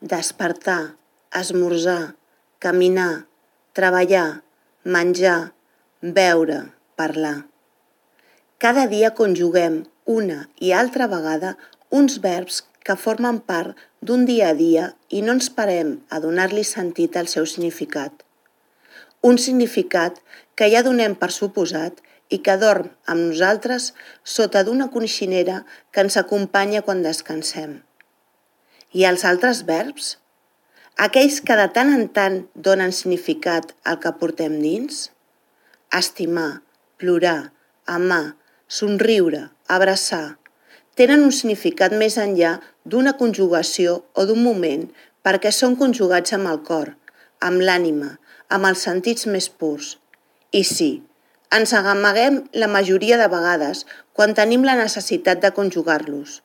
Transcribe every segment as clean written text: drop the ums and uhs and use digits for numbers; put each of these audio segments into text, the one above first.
despertar, esmorzar, caminar, treballar, menjar, beure, parlar. Cada dia conjuguem una i altra vegada uns verbs que formen part d'un dia a dia i no ens parem a donar-li sentit al seu significat. Un significat que ja donem per suposat i que dorm amb nosaltres sota d'una coixinera que ens acompanya quan descansem. I els altres verbs? Aquells que de tant en tant donen significat al que portem dins? Estimar, plorar, amar, somriure, abraçar, tenen un significat més enllà d'una conjugació o d'un moment perquè són conjugats amb el cor, amb l'ànima, amb els sentits més purs. I sí, ens amaguem la majoria de vegades quan tenim la necessitat de conjugar-los.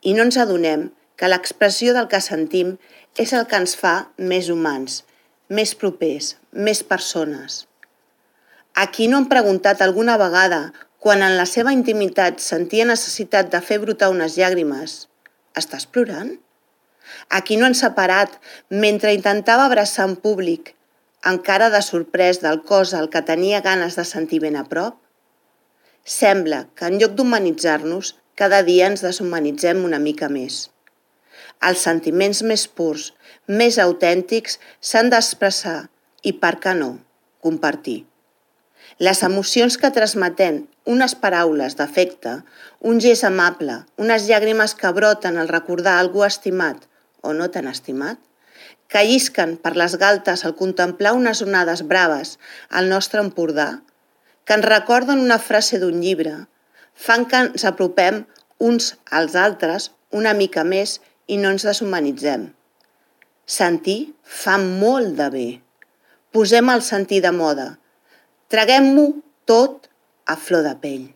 I no ens adonem que l'expressió del que sentim és el que ens fa més humans, més propers, més persones. A qui no han preguntat alguna vegada, quan en la seva intimitat sentia necessitat de fer brotar unes llàgrimes, «Estàs plorant?» A qui no han separat mentre intentava abraçar en públic, encara de sorprès del cos al que tenia ganes de sentir ben a prop? Sembla que en lloc d'humanitzar-nos, cada dia ens deshumanitzem una mica més. Els sentiments més purs, més autèntics, s'han d'expressar i, per què no, compartir. Les emocions que transmetem, unes paraules d'afecte, un gest amable, unes llàgrimes que broten al recordar algú estimat o no tan estimat, que llisquen per les galtes al contemplar unes onades braves al nostre Empordà, que ens recorden una frase d'un llibre, fan que ens apropem uns als altres una mica més i no ens deshumanitzem. Sentir fa molt de bé. Posem el sentir de moda. Traguem-ho tot a flor de pell.